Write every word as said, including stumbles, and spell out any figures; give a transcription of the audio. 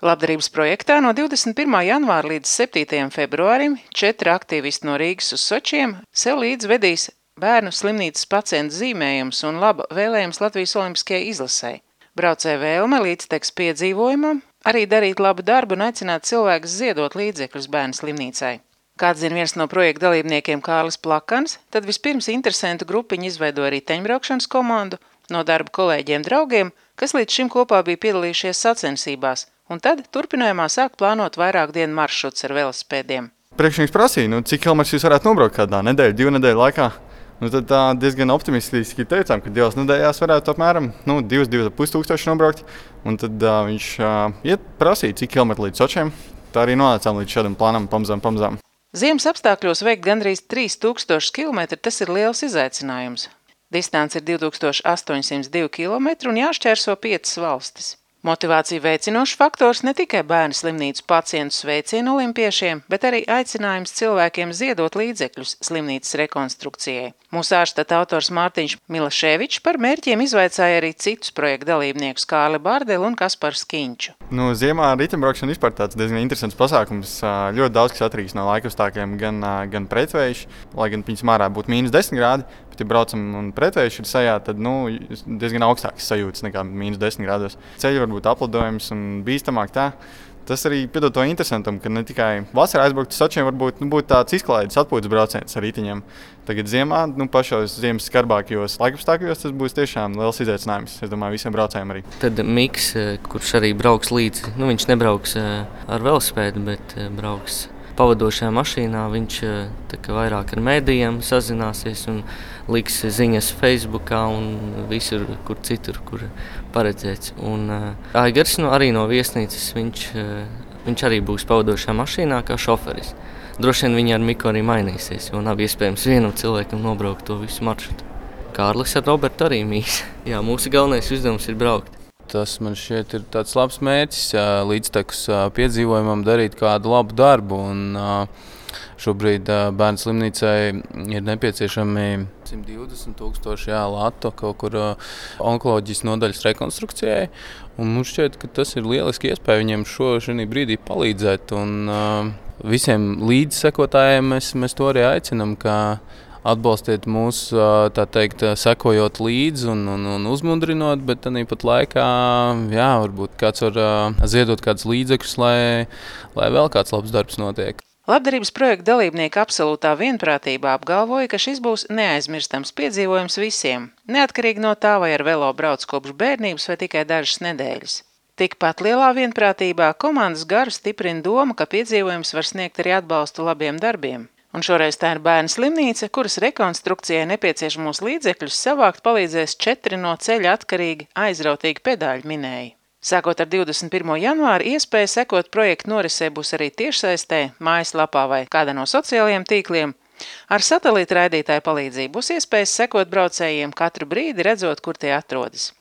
Labdarības projektā no divdesmit pirmā janvāra līdz septītajam februārim četri aktīvisti no Rīgas uz Sočiem sev līdz vedīs bērnu slimnīcas pacientu zīmējums un laba vēlējums Latvijas olimpiskajai izlasei. Braucēja vēlme līdztekus piedzīvojumam, arī darīt labu darbu un aicināt cilvēkus ziedot līdzekļus bērnu slimnīcai. Kā atzina viens no projekta dalībniekiem Kārlis Plakans, tad vispirms interesentu grupiņu izveidoja riteņbraukšanas komandu no darba kolēģiem draugiem, kas līdz šim kopā bija piedalījušies sacensībās, un tad turpinājumā sāk plānot vairāk dienu maršruts ar velosipēdiem. Priekšnieks prasīja, nu, cik kilometrus jūs varētu nobraukt kādā nedēļu, divu nedēļu laikā. Nu, tad tā diezgan optimistiski teicām, ka divās nedēļās varētu apmēram nu, divas, divas ar pus tūkstoši nobraukt. Un tad uh, viņš uh, iet prasīja, cik kilometri līdz Sočiem. Tā arī nonācām līdz šādam plānam pamazām, pamazām. Ziemas apstākļos veikt gandrīz trīs tūkstoši kilometri, tas ir liels izaicinājums. Distance ir divi tūkstoši astoņsimt divi kilometri un jāšķērso piecas valstis. Motivāciju veicinošs faktors ne tikai bērnu slimnīcu pacientu sveicienu olimpiešiem, bet arī aicinājums cilvēkiem ziedot līdzekļus slimnīcas rekonstrukcijai. Mūsu ārštata autors Mārtiņš Milaševičs par mērķiem izvaicāja arī citus projektu dalībniekus Kārli Bārdeli un Kasparu Skiņču. Nu, ziemā riteņbraukšana vispār tāds diezgan interesants pasākums. Ļoti daudz kas atkarīgs no laikapstākļiem, gan, gan pretvējš, lai gan viņas mārā būtu mīnus desmit grādi, bet ja braucam un pretvējš ir sajā, tad nu, diezgan augstāks sajūtas nekā mīnus desmit grādos. Ceļi var būt aplidojums un bīstamāk tā. Tas arī piedod to interesantam, ka ne tikai vasarā aizbraukt uz Sočiem varbūt nu, būtu tāds izklaides atpūtas brauciens ar riteņiem. Tagad ziemā, nu, pašos ziemas skarbākajos laikapstākļos tas būs tiešām liels izaicinājums, es domāju, visiem braucējiem arī. Tad Miks, kurš arī brauks līdzi, nu, viņš nebrauks ar velosipēdu, bet brauks pavadošajā mašīnā, viņš tā kā vairāk ar mēdījiem sazināsies un liks ziņas Facebookā un visur, kur citur, kur paredzēts. Un Aigars no, arī no viesnīcas, viņš, viņš arī būs pavadošajā mašīnā kā šoferis. Droši vien viņi ar Miku arī mainīsies, jo nav iespējams vienam cilvēkam nobraukt to visu maršrutu. Kārlis ar Robertu arī mīs. Jā, mūsu galvenais uzdevums ir braukt. Tas man šķiet ir tāds labs mērķis, līdztekus piedzīvojumam darīt kādu labu darbu. Un, šobrīd bērnu slimnīcai ir nepieciešami simt divdesmit tūkstoši latu kaut kur onkoloģijas nodaļas rekonstrukcijai. Un mums šķiet, ka tas ir lieliski iespēja viņiem šo šajā brīdī palīdzēt. Un visiem līdzsekotājiem mēs, mēs to arī aicinam, ka atbalstiet mūs, tā teikt, sekojot līdzi un, un, un uzmundrinot, bet tāpat laikā, jā, varbūt kāds var ziedot kādus līdzekļus, lai, lai vēl kāds labs darbs notiek. Labdarības projekta dalībnieki absolūtā vienprātībā apgalvoja, ka šis būs neaizmirstams piedzīvojums visiem, neatkarīgi no tā, vai ar velo brauc kopš bērnības vai tikai dažas nedēļas. Tikpat lielā vienprātībā komandas garu stiprina doma, ka piedzīvojums var sniegt arī atbalstu labiem darbiem. Un šoreiz tā ir bērnu slimnīca, kuras rekonstrukcijai nepieciešamos līdzekļus savākt palīdzēs četri no ceļa atkarīgi aizrautīgi pedāļu minēji. Sākot ar divdesmit pirmo janvāru, iespēja sekot projektu norisē būs arī tiešsaistē, mājaslapā vai kādā no sociālajiem tīkliem. Ar satelīta raidītāju palīdzību būs iespējas sekot braucējiem katru brīdi, redzot, kur tie atrodas.